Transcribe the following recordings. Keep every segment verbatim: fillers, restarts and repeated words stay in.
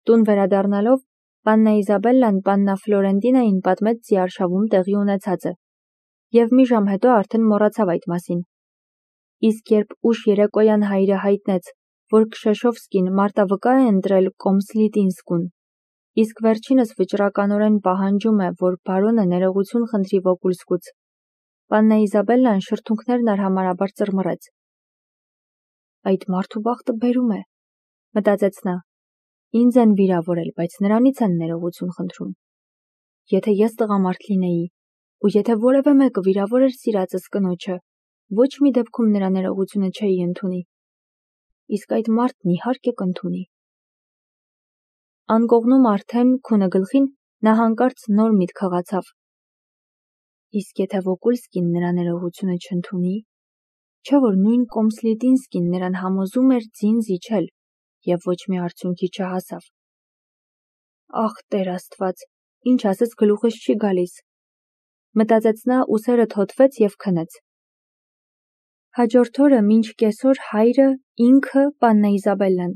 Տուն վերադառնալով, պաննա Իզաբելլան պաննա Ֆլորենտինային պատմեց ձիարշավում տեղի ունեցածը, և մի ժամ հետո արդեն մոռացավ այդ մասին։ Իսկ երբ ուշ երեկոյան հայրը հայտնեց, որ Քշեշովսկին մարտավկա է ընտրել Կոմսլիտինսկուն, իսկ վերջինս վճռականորեն պահանջում է, որ բարոնը ներողություն խնդրի Վոկուլսկուց, պաննա Իզաբելլան շրթունքներն արհամարհաբար ծռմռեց։ Այդ մարդու բախտը բերում է, մտածեց նա, ինձ են վիրավորել, բայց նրանից են ներողություն խնդրում։ Եթե ես տղամարդ լինեի, ու եթե որևէ մեկը վիրավորեր սիրածս կնոջը, ոչ մի դեպքում նրա ներողությունը չէի ընդունի։ Իսկ այդ մարդն իհարկե կընդունի։ Անկողնում արդեն քունը գլխին նա հանկարծ նոր միտք հղացավ։ Իսկ եթե Վոկուլսկին նրա ներողությունը չընդունի, չէ՞ որ նույն Կոմսլիտինսկին նրան համոզում էր ձին զիջել և ոչ մի արդյունքի չհասավ։ Ախ, Տեր Աստված, ինչ ասես գլուխս չի գալիս, մտածեց նա, ուսերը թոթվեց և քնեց։ Հաջորդ օրը մինչ կեսօր հայրը, ինքը, պաննա Իզաբելլան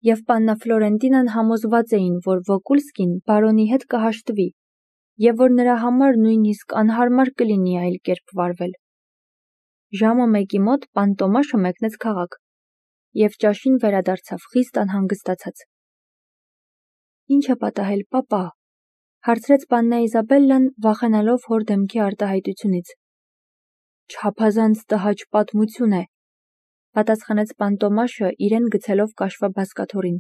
և պաննա Ֆլորենտինան համոզված էին, որ Վոկուլսկին բարոնի հետ կհաշտվի և որ նրա համար նույնիսկ անհարմար կլինի այլ կերպ վարվել։ Ժամը մեկի մոտ պան Տոմաշը մեկնեց քաղաք և ճաշին վերադարձավ խիստ անհանգստացած։ Ինչ է պատահել, պապա, հարցրեց պաննա Իզաբելլան, վախենալով հոր դեմքի արտահայտությունից։ Չափազանց տհաճ պատմություն է, պատասխանեց պան Տոմաշը, իրեն գցելով կաշվե բազկաթոռին։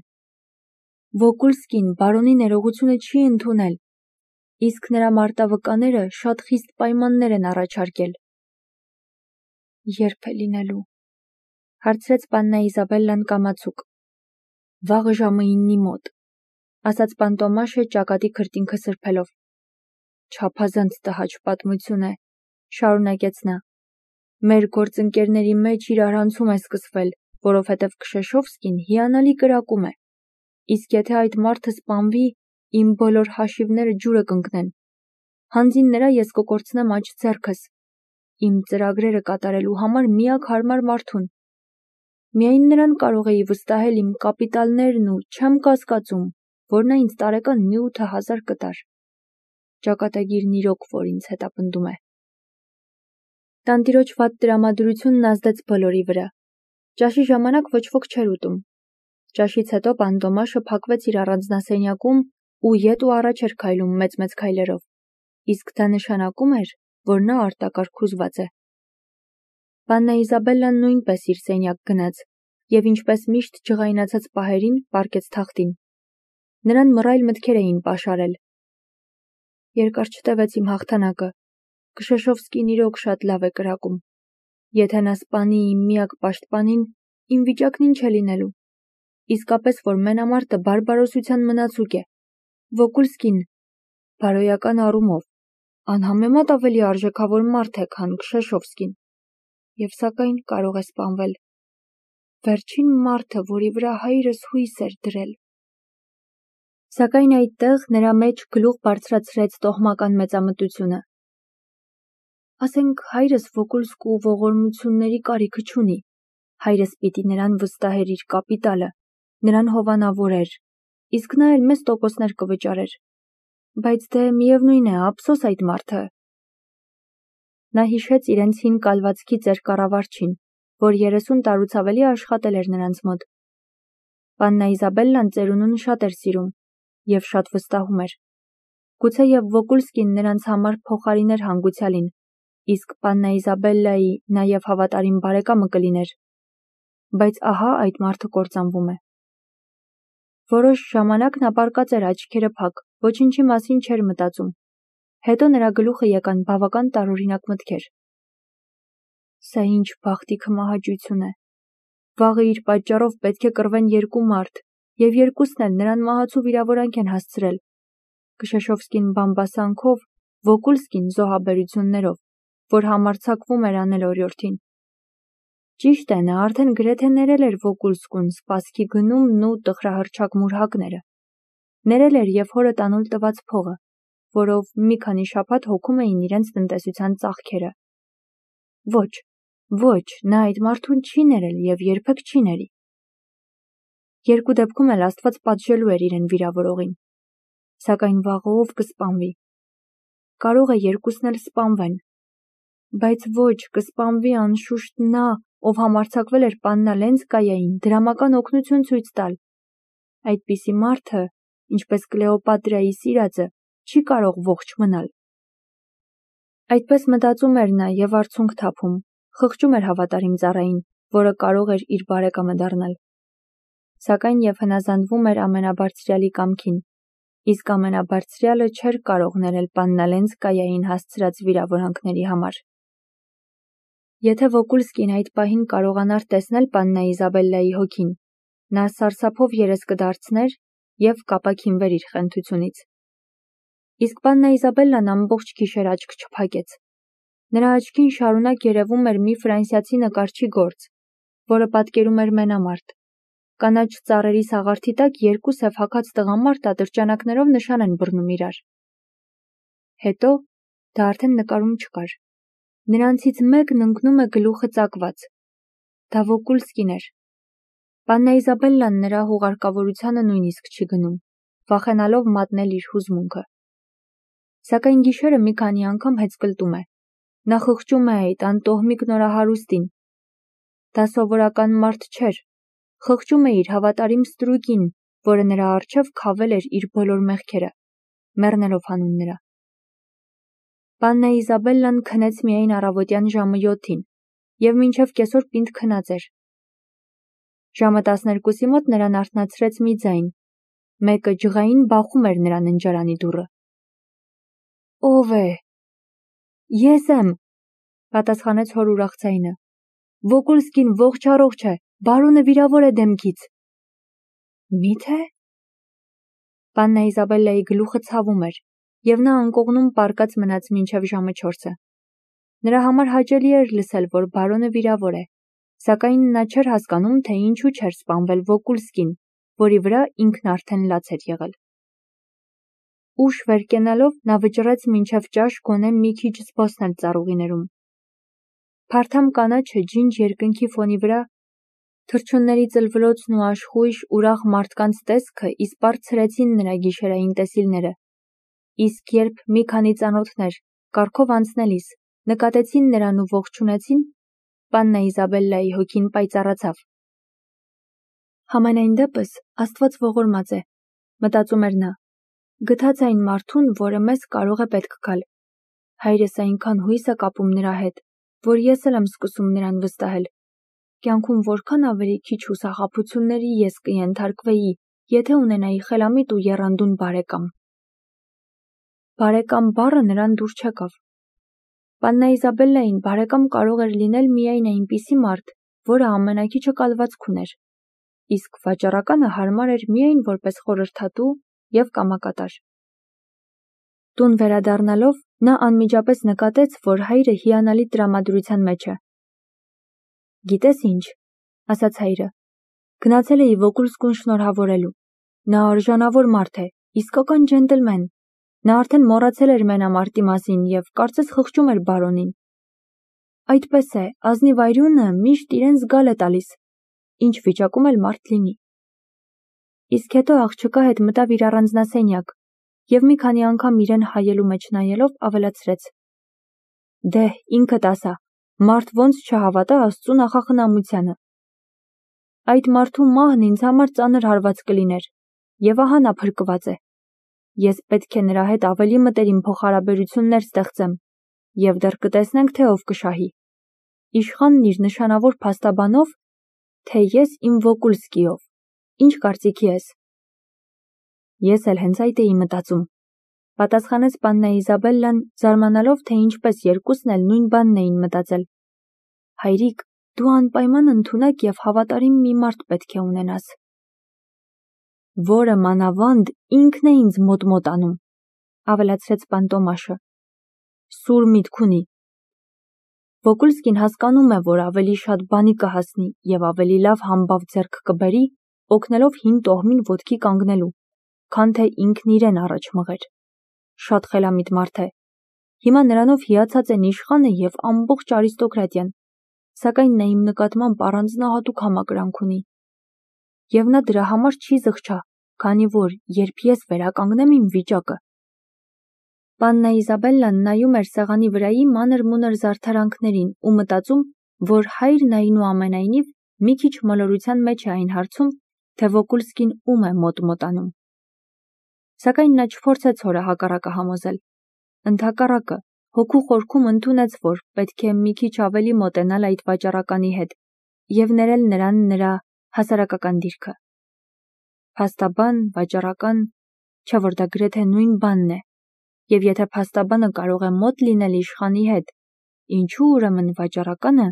Վոկուլսկին բարոնի ներողությունը չի ընդունել, իսկ նրա մարտավկաները շատ խիստ պայմաններ են առաջարկել։ Ե՞րբ է լինելու, հարցրեց պաննա Իզաբելլան կամացուկ։ Վաղը ժամը իննի մոտ, ասաց պան Տոմաշը ճակատի քրտինքը սրբելով։ Չափազանց տհաճ պատմություն է, շարունակեց նա։ Մեր գործընկերների մեջ իրարանցում է սկսվել, որովհետև Քշեշովսկին հիանալի կրակում է, իսկ եթե այդ մարդը սպանվի, իմ բոլոր հաշիվները ջուրը կընկնեն։ Հանձին նրա ես կկորցնեմ աջ ձեռքս, իմ ծրագրերը կատարելու համար միակ հարմար մարդուն։ Միայն նրան կարող էի վստահել իմ կապիտալներն ու չեմ կասկածում, որ նա ինձ տարեկան մի ութ հազար կտար։ Ճակատագիրն իրոք որ ինձ հետապնդում է։ Տանտիրոջ վատ տրամադրությունն ազդեց բոլորի վրա։ Ճաշի ժամանակ ոչ ոք չէր ուտում։ Ճաշից հետո պան Տոմաշը փակվեց իր առանձնասենյակում ու ետ ու առաջ էր քայլում մեծ-մեծ քայլերով, իսկ դա նշանակում էր, որ նա արտակարգուզված է։ Պաննա Իզաբելլան նույնպես իր սենյակ գնաց և ինչպես միշտ ջղայնացած պահերին պառկեց թախտին։ Նրան մռայլ մտքեր էին պաշարել։ Երկար չտևեց իմ հաղթանակը։ Քշեշովսկին իրոք շատ լավ է կրակում։ Եթե նա սպանի իմ միակ պաշտպանին, իմ վիճակն ինչ է լինելու։ Իսկապես որ մենամարտը բարբարոսության մնացուկ է։ Վոկուլսկին, բարոյական առումով, անհամեմատ ավելի արժեքավոր մարդ է, քան Քշեշովսկին, և սակայն կարող է սպանվել։ Վերջին մարդը, որի վրա հայրս հույս էր դրել։ Սակայն այդտեղ նրա մեջ գլուխ բարձրացրեց տոհմական մեծամտությունը։ Ասենք հայրս Վոկուլսկու ողորմությունների կարիքը չունի, հայրս պիտի նրան վստահեր իր կապիտալը, նրան հովանավորեր, իսկ նա էլ մեծ տոկոսներ կվճարեր, բայց դե միևնույն է, ափսոս այդ մարդը։ Նա հիշեց իրենց հին կալվածքի ծեր կառավարչին, որ երեսուն տարուց ավելի աշխատել էր նրանց մոտ։ Պաննա Իզաբելլան ծերունուն շատ էր սիրում և շատ վստահում էր։ Գուցեև Վոկուլսկին նրանց համար փոխարիներ հանգուցյալին, իսկ պաննա Իզաբելլայի նաև հավատարիմ բարեկամը կլիներ։ Բայց ահա այդ մարդը կործանվում է։ Որոշ ժամանակ նա պառկած էր աչքերը փակ, ոչինչի մասին չէր մտածում։ Հետո նրա գլուխը եկան բավական տարօրինակ մտքեր։ Սա ինչ բախտիքը մահաճույցուն է։ Վաղը իր պատճառով պետք է կռվեն երկու մարդ, և երկուսն էլ նրան մահացու վիրավորանք են հասցրել։ Քշեշովսկին բամբասանքով, Վոկուլսկին զոհաբերություններով, որ համարձակվում էր անել օրիորդին։ Ճիշտ է, նա արդեն գրեթե ներել էր Վոկուլսկուն սպասքի գնումն ու տխրահռչակ մուրհակները։ Ներել էր և հորը տանուլ տված փողը, որով մի քանի շաբաթ հոգում էին իրենց տնտեսության ծախքերը։ Ոչ, ոչ, նա այդ մարդուն չի ներել և երբեք չի ների։ Երկու դեպքում էլ Աստված պատժելու էր իրեն վիրավորողին, սակայն վաղը ով կսպանվի։ Կարող է երկուսն էլ սպանվեն, բայց ոչ, կսպանվի անշուշտ նա, ով համարձակվել էր Պաննա Լենսկայային դրամական օգնություն ցույց տալ։ Այդպիսի մարդը, ինչպես Կլեոպատրայի սիրածը, չի կարող ողջ մնալ։ Այդպես մտածում էր նա և արցունք թափում, խղճում էր հավատարիմ ծառային, որը կարող էր իր բարեկամը դառնալ։ Սակայն և հնազանդվում էր ամենաբարձրյալի կամքին, իսկ ամենաբարձրյալը չէր կարող ներել Պաննա Լենսկայային հասցրած վիրավորանքների համար։ Եթե Վոկուլսկին այդ պահին կարողանար տեսնել Պաննա Իզաբելլայի հոգին, նա սարսափով երես կդարձներ և կապաքինվեր իր խենթությունից։ Իսկ Պաննա Իզաբելլան ամբողջ գիշեր աչք չփակեց։ Նրա աչքին շարունակ երևում էր մի ֆրանսիացի նկարչի գործ, որը պատկերում էր մենամարտ։ Կանաչ ծառերի սաղարթի տակ երկու սև հագած տղամարդ ատրճանակներով նշան են բռնում իրար։ Հետո դա արդեն նկարում չկար։ Նրանցից մեկն ընկնում է գլուխը ծակված։ Դա Վոկուլսկին էր։ Պաննա Իզաբելլան նրա հուղարկավորությանը նույնիսկ չի գնում, վախենալով մատնել իր հուզմունքը։ Սակայն գիշերը մի քանի անգամ հեծկլտում է։ Նա խղճում է այդ անտոհմիկ նորահարուստին։ Դա սովորական մարդ չէր։ Խղճում է իր հավատարիմ ստրուկին, որը նրա առջև քավել էր իր բոլոր մեղքերը, մեռնելով հանուն նրա։ Պաննա Իզաբելլան քնեց միայն առավոտյան ժամը յոթին և մինչև կեսօր պինդ քնած էր։ Ժամը տասներկուսի մոտ նրան արթնացրեց մի ձայն, մեկը ջղային բախում էր նրա ննջարանի դուռը։ Ո՞վ է։ Ես եմ, պատասխանեց հոր ուրախ ձայնը։ Վոկուլսկին ողջ առողջ է, բարոնը վիրավոր է դեմքից։ Մի՞թե։ Պաննա Իզաբելլայի գլուխը ցավում էր, և նա անկողնում պառկած մնաց մինչև ժամը չորսը։ Նրա համար հաճելի էր լսել, որ բարոնը վիրավոր է, սակայն նա չէր հասկանում, թե ինչու չէր սպանվել Վոկուլսկին, որի վրա ինքն արդեն լաց էր եղել։ Ուշ վեր կենալով նա վճռեց մինչև ճաշ գոնե մի քիչ զբոսնել ծառուղիներում։ Փարթամ կանաչը ջինջ երկնքի ֆոնի վրա, թռչունների ծլվլոցն ու աշխույժ ուրախ մարդկանց տեսքը իսպառ ցրեցին նրա գիշերային տեսիլները, իսկ երբ մի քանի ծանոթներ, կառքով անցնելիս, նկատեցին նրան ու ողջունեցին, Պաննա Իզաբելլայի հոգին պայծառացավ։ Համենայն դեպս Աստված ողորմած է, մտածում էր նա, գթած այն մարդուն, որը մեզ կարող է պետք գալ։ Հայրս այնքան հույս է կապում նրա հետ, որ ես էլ եմ սկսում նրան վստահել։ Կյանքում որքան ավելի քիչ հուսախաբությունների ես կենթարկվեի, եթե ունենայի խելամիտ ու եռանդուն բարեկամ։ Բարեկամ բառը նրան դուր չեկավ։ Պաննա Իզաբելլային բարեկամ կարող էր լինել միայն այնպիսի մարդ, որը ամենաքիչը կալվածք ուներ, իսկ վաճառականը հարմար էր միայն որպես խորհրդատու և կամակատար։ Տուն վերադառնալով նա անմիջապես նկատեց, որ հայրը հիանալի տրամադրության մեջ է։ Գիտես ինչ, ասաց հայրը, գնացել էի Վոկուլսկուն շնորհավորելու։ Նա արժանավոր մարդ է, իսկական ջենտլմեն։ Նա արդեն մոռացել էր մենամարտի մասին և կարծես խղճում էր բարոնին։ Այդպես է, ազնիվ այրունը միշտ իրեն զգալ է տալիս, ինչ վիճակում էլ մարդ լինի։ Իսկ հետո աղջկա հետ մտավ իր առանձնասենյակ և մի քանի անգամ իրեն հայելու մեջ նայելով ավելացրեց. Դե, ինքդ ասա, մարդ ոնց չհավատա Աստծու նախախնամությանը։ Այդ մարդու մահն ինձ համար ծանր հարված կլիներ, և ահա նա փրկված է։ Ես պետք է նրա հետ ավելի մտերիմ փոխհարաբերություններ ստեղծեմ, և դեռ կտեսնենք, թե ով կշահի։ Իշխանն իր նշանավոր փաստաբանով, թե ես իմ Վոկուլսկիով։ Ինչ կարծիքի ես։ Ես էլ հենց այդ էի մտածում, պատասխանեց Պաննա Իզաբելլան, զարմանալով, թե ինչպես երկուսն էլ նույն բանն էին մտածել։ Հայրիկ, դու անպայման ընդունակ և հավատարիմ մի մարդ պետք է ունենաս, որը մանավանդ ինքն է ինձ մոտ-մոտ անում, ավելացրեց պան Տոմաշը։ Սուր միտք ունի։ Վոկուլսկին հասկանում է, որ ավելի շատ բանի կհասնի և ավելի լավ համբավ ձեռք կբերի, օգնելով հին տոհմին ոտքի կանգնելու, քան թե ինքն իրեն առաջ մղեր։ Շատ խելամիտ մարդ է։ Հիմա նրանով հիացած են իշխանը և ամբողջ արիստոկրատիան, սակայն նա իմ նկատմամբ առանձնահատուկ համակրանք ունի։ եւ նա դրա համար չի զղջա, քանի որ երբ ես վերականգնեմ իմ վիճակը։ Պաննա Իզաբելլան նայում էր սեղանի վրայի մանր-մունր զարդարանքներին ու մտածում, որ հայրն այնուամենայնիվ մի քիչ մոլորության մեջ է այն հարցում, թե Վոկուլսկին ում է մոտ-մոտանում։ Սակայն նա չփորձեց հորը հակառակը համոզել։ Ընդհակառակը, հոգու խորքում ընդունեց, որ պետք է մի քիչ ավելի մոտենալ այդ վաճառականի հետ եւ ներել նրան նրա հասարակական դիրքը։ Փաստաբան, վաճառական, չէ՞ որ դա գրեթե նույն բանն է, եւ եթե փաստաբանը կարող է մոտ լինել իշխանի հետ, ինչու ուրեմն վաճառականը,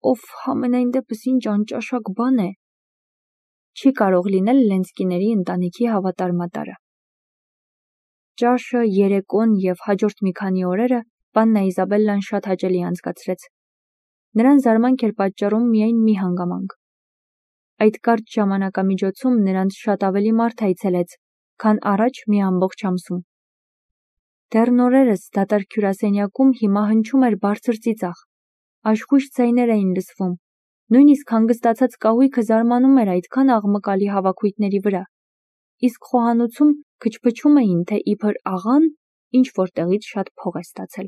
ով համենայն դեպս ինչ անճաշակ բան է, չի կարող լինել Լենսկիների ընտանիքի հավատարմատարը։ Ճաշը, երեկոն եւ հաջորդ մի քանի օրերը Պաննա Իզաբելլան շատ հաճելի անցկացրեց։ Նրան զարմանք էր պատճառում միայն մի հանգամանք։ Այդ կարճ ժամանակամիջոցում նրանց շատ ավելի մարդ այցելեց, քան առաջ մի ամբողջ ամսում։ Դեռ նորերս դատարկ հյուրասենյակում հիմա հնչում էր բարձր ծիծաղ, աշխույժ ձայներ էին լսվում, նույնիսկ հանգստացած կահույքը զարմանում էր այդքան աղմկալի հավաքույթների վրա, իսկ խոհանոցում քչփչում էին, թե իբր աղան ինչ որտեղից շատ փող է ստացել։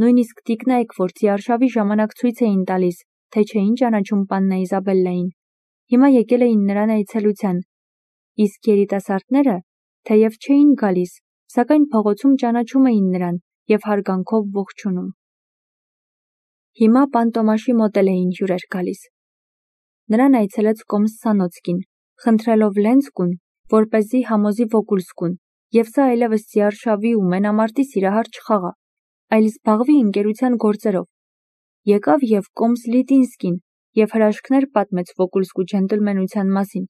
Նույնիսկ տիկնայք, որ ձիարշավի ժամանակ ցույց էին տալիս, թե չէին ճանաչում Պաննա Իզաբելլային, հիմա եկել էին նրան այցելության, իսկ երիտասարդները, թեև չէին գալիս, սակայն փողոցում ճանաչում էին նրան եւ հարգանքով ողջունում։ Հիմա Պանտոմաշի մոտ էին հյուրեր գալիս։ Նրան այցելեց Կոմսանոցկին, խնդրելով Լենսկուն, որպեսզի համոզի Վոկուլսկուն, եւ սա այլևս ձիարշավի ու մենամարտի սիրահար չխաղա, այլ զբաղվի ընկերության գործերով։ Եկավ եւ Կոմս Լիտինսկին եւ հրաշքներ պատմեց Վոկուլսկու ջենտլմենության մասին։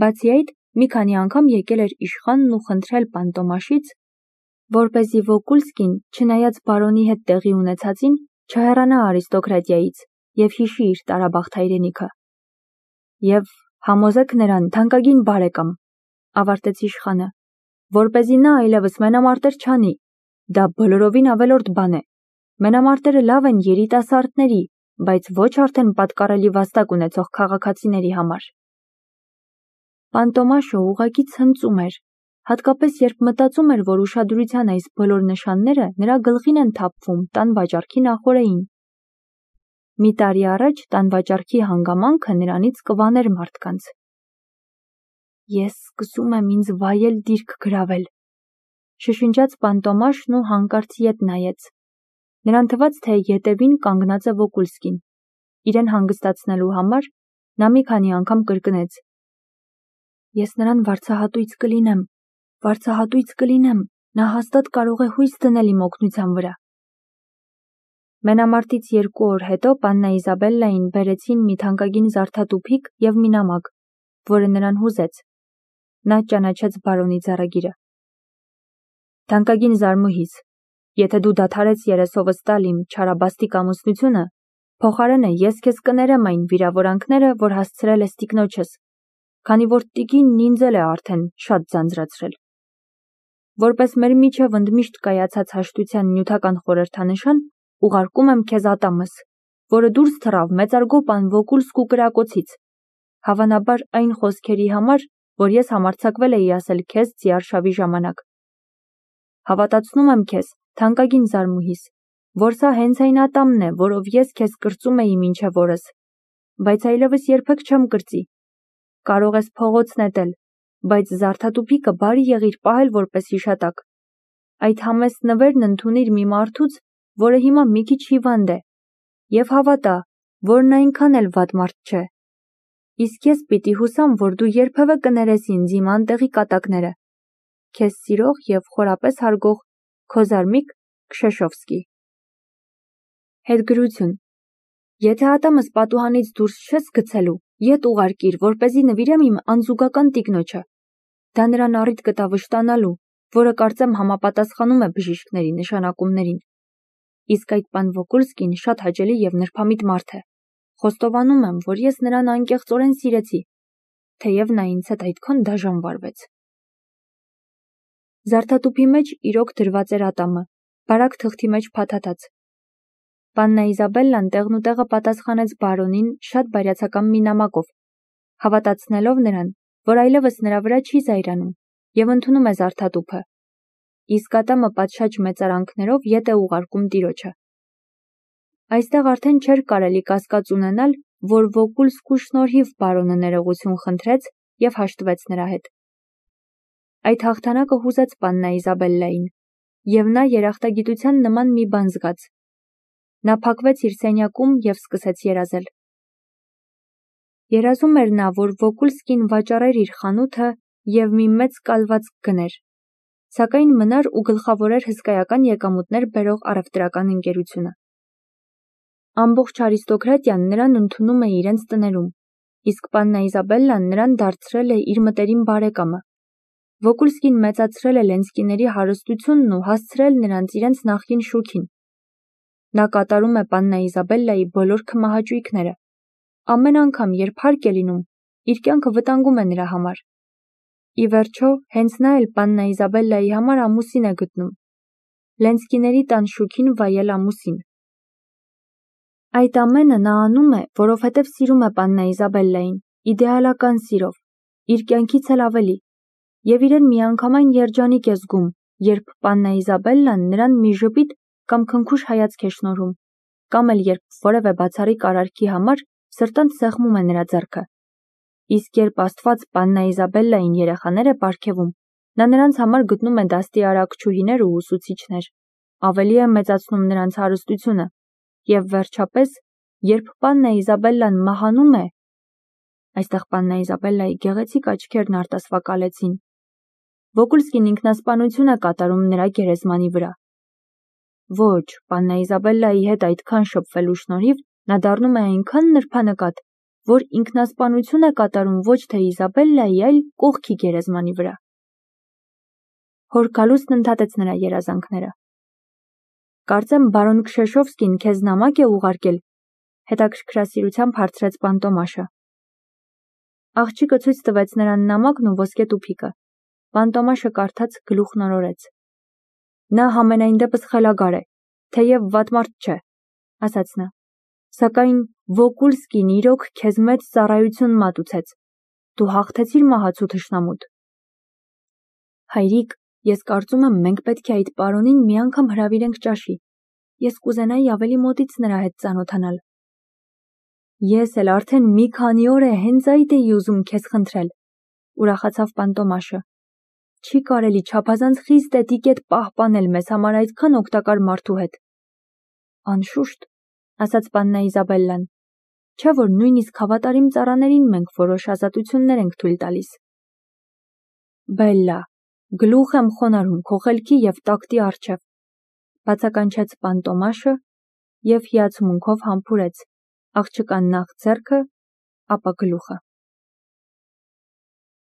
Բացի այդ, մի քանի անգամ եկել էր իշխանն ու խնդրել Պանտոմաշից, որպեսզի Վոկուլսկին, չնայած բարոնի հետ տեղի ունեցածին, չհեռանա արիստոկրատիայից եւ հիշի իր տարաբախտ հայրենիքը։ Եվ համոզեք նրան, թանկագին բարեկամ, ավարտեց իշխանը, որպեսզի նա այլևս մենամարտեր չանի, դա բոլորովին ավելորդ բան է։ Մենամարտերը լավ են երիտասարդների, բայց ոչ արդեն պատկառելի վաստակ ունեցող քաղաքացիների համար։ Պանտոմաշը ուղղակի ցնծում էր, հատկապես երբ մտածում էր, որ ուշադրության այս բոլոր նշանները նրա գլխին են թափվում տան վաճառքի նախօրեին։ Մի տարի առաջ տան վաճառքի հանգամանքը նրանից կվաներ մարդկանց։ Ես սկսում եմ ինձ վայել դիրք գրավել, շշնջաց Պանտոմաշն ու հանկարծ ետ նայեց։ Նրան թվաց, թե ետևին կանգնած է Վոկուլսկին։ Իրեն հանգստացնելու համար նա մի քանի անգամ կրկնեց. Ես նրան վարձահատույց կլինեմ, վարձահատույց կլինեմ, նա հաստատ կարող է հույս դնել իմ օգնության վրա։ Մենամարտից երկու օր հետո Պաննա Իզաբելլային բերեցին մի թանկագին զարդատուփիկ եւ մի նամակ, որը նրան հուզեց։ Նա ճանաչեց բարոնի ձեռագիրը։ Թանկագին զարմուհիս, եթե դու դադարես երեսովս տալ իմ չարաբաստիկ ամուսնությունը, փոխարենը ես քեզ կներեմ այն վիրավորանքները, որ հասցրել ես տիկնոջս, քանի որ տիկինն ինձ էլ է արդեն շատ ձանձրացրել։ Որպես մեր միջև ընդմիշտ կայացած հաշտության նյութական խորհրդանշան, ուղարկում եմ քեզ ատամս, որը դուրս թռավ մեծարգո պան Վոկուլսկու կրակոցից, հավանաբար այն խոսքերի համար, որ ես համարձակվել էի ասել քեզ ձիարշավի ժամանակ։ Հավատացնում եմ քեզ, թանկագին զարմուհիս, որ սա հենց այն ատամն է, որով ես քեզ կրծում էի մինչև օրս, բայց այլևս երբեք չեմ կրծի։ Կարող ես փողոց նետել, բայց զարդատուփիկը բարի եղիր պահել որպես հիշատակ։ Այդ համեստ նվերն ընդունիր մի մարդուց, որը հիմա մի քիչ հիվանդ է, եւ հավատա, որ նա այնքան էլ վատ մարդ չէ։ Իսկ ես պիտի հուսամ, որ դու երբևէ կներես ինձ իմ անտեղի կատակները։ Քեզ սիրող եւ խորապես հարգող քո զարմիկ Քշեշովսկի։ Հետգրություն։ Եթե ատամս պատուհանից դուրս չես գցելու, ետ ուղարկիր, որպեսզի նվիրեմ իմ անզուգական տիկնոջը։ Դա նրան առիթ կտա վշտանալու, որը կարծեմ համապատասխանում է բժիշկների նշանակումներին։ Իսկ այդ պան Վոկուլսկին շատ հաճելի եւ նրբամիտ մարդ է։ Խոստովանում եմ, որ ես նրան անկեղծորեն սիրեցի, թեև նա ինձ հետ այդքան դաժան վարվեց։ Զարդատուփի մեջ իրոք դրված էր ատամը, բարակ թղթի մեջ փաթաթած։ Պաննա Իզաբելլան տեղնուտեղը պատասխանեց բարոնին շատ բարյացակամ մի նամակով, հավատացնելով նրան, որ այլևս նրա վրա չի զայրանում և ընդունում է զարդատուփը, իսկ ատամը պատշաճ մեծարանքներով ետ է ուղարկում տիրոջը։ Այստեղ արդեն չէր կարելի կասկած ունենալ, որ Վոկուլսկու շնորհիվ բարոնը ներողություն խնդրեց և հաշտվեց նրա հետ։ Այդ հաղթանակը հուզեց Պաննա Իզաբելլային, և նա երախտագիտության նման մի բան զգաց։ Նա փակվեց իր սենյակում և սկսեց երազել։ Երազում էր նա, որ Վոկուլսկին վաճառեր իր խանութը և մի մեծ կալվածք գներ, սակայն մնար ու գլխավորեր հսկայական եկամուտներ բերող առևտրական ընկերությունը։ Ամբողջ արիստոկրատիան նրան ընդունում է իրենց տներում, իսկ Պաննա Իզաբելլան նրան դարձրել է իր մտերիմ բարեկամը։ Վոկուլսկին մեծացրել է Լենսկիների հարստությունն ու հասցրել նրանց իրենց նախկին շուքին։ Նա կատարում է Պաննա Իզաբելլայի բոլոր քմահաճույքները։ Ամեն անգամ, երբ հարկ է լինում, իր կյանքը վտանգում է նրա համար։ Ի վերջո, հենց նա էլ Պաննա Իզաբելլայի համար ամուսին է գտնում։ Լենսկիների տան շուքին վայել ամուսին։ Այդ ամենը նա անում է, որովհետև սիրում է Պաննա Իզաբելլային, իդեալական սիրով, իր կյանքից էլ ավելի, և իրեն միանգամայն երջանիկ է զգում, երբ Պաննա Իզաբելլան նրան մի ժպիտ կամ քնքուշ հայացք է շնորհում, կամ էլ երբ որևէ բացառիկ արարքի համար սրտանց սեղմում է նրա ձեռքը։ Իսկ երբ Աստված Պաննա Իզաբելլային երեխաներ է պարգևում, նա նրանց համար գտնում է դաստիարակչուհիներ ու ուսուցիչներ, ավելի է մեծացնում նրանց հարստությունը, և վերջապես, երբ Պաննա Իզաբելլան մահանում է, այստեղ Պաննա Իզաբելլայի գեղեցիկ աչքերն արտասվակալեցին, Վոկուլսկին ինքնասպանություն է կատարում նրա գերեզմանի վրա։ Ոչ, Պաննա Իզաբելլայի հետ այդքան շփվելու շնորհիվ նա դառնում է այնքան նրբանկատ, որ ինքնասպանություն է կատարում ոչ թե Իզաբելլայի, այլ կողքի գերեզմանի վրա։ Հոր Գալուստն ընդհատեց նրա երազանքները։ Կարծեմ բարոն Քշեշովսկին քեզ նամակ է ուղարկել, հետաքրքրասիրությամբ հարցրեց Պանտոմաշը։ Աղջիկը ցույց տվեց նրան նամակն ու ոսկե տուփիկը։ Պանտոմաշը կարդաց, գլուխն օրորեց։ Նա համենայն դեպս խելագար է, թեև վատ մարդ չէ, ասաց նա, սակայն Վոկուլսկին իրոք քեզ մեծ ծառայություն մատուցեց, դու հաղթեցիր մահացու թշնամուդ։ Հայրիկ, ես կարծում եմ մենք պետք է այդ պարոնին մի անգամ հրավիրենք ճաշի, ես կուզենայի ավելի մոտից նրա հետ ծանոթանալ։ Ես էլ արդեն մի քանի օր է հենց այդ էի ուզում քեզ խնդրել, ուրախացավ Պանտոմաշը։ Չի կարելի չափազանց խիստ էտիկետ պահպանել մեզ համար այդքան օգտակար մարդու հետ։ Անշուշտ, ասաց Պաննա Իզաբելլան, չէ՞ որ նույնիսկ հավատարիմ ծառաներին մենք որոշ ազատություններ ենք թույլ տալիս։ Բելլա, գլուխ եմ խոնարհում քո խելքի և տակտի առջև, բացականչեց Պանտոմաշը և հիացմունքով համբուրեց աղջկան նախ ձեռքը, ապա գլուխը։